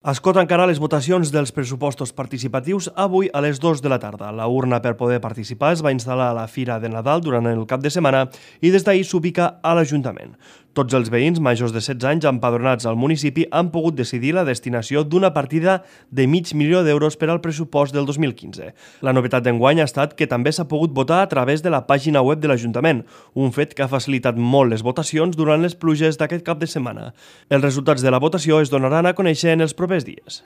Escot encara les votacions dels pressupostos participatius avui a les 2 de la tarda. La urna per poder participar es va instal·lar a la Fira de Nadal durant el cap de setmana i des d'ahir s'ubica a l'Ajuntament. Tots els veïns majors de 16 anys empadronats al municipi han pogut decidir la destinació d'una partida de $500.000 per al pressupost del 2015. La novetat d'enguany ha estat que també s'ha pogut votar a través de la pàgina web de l'Ajuntament, un fet que ha facilitat molt les votacions durant les pluges d'aquest cap de setmana. Els resultats de la votació es donaran a conèixer en els propers dies.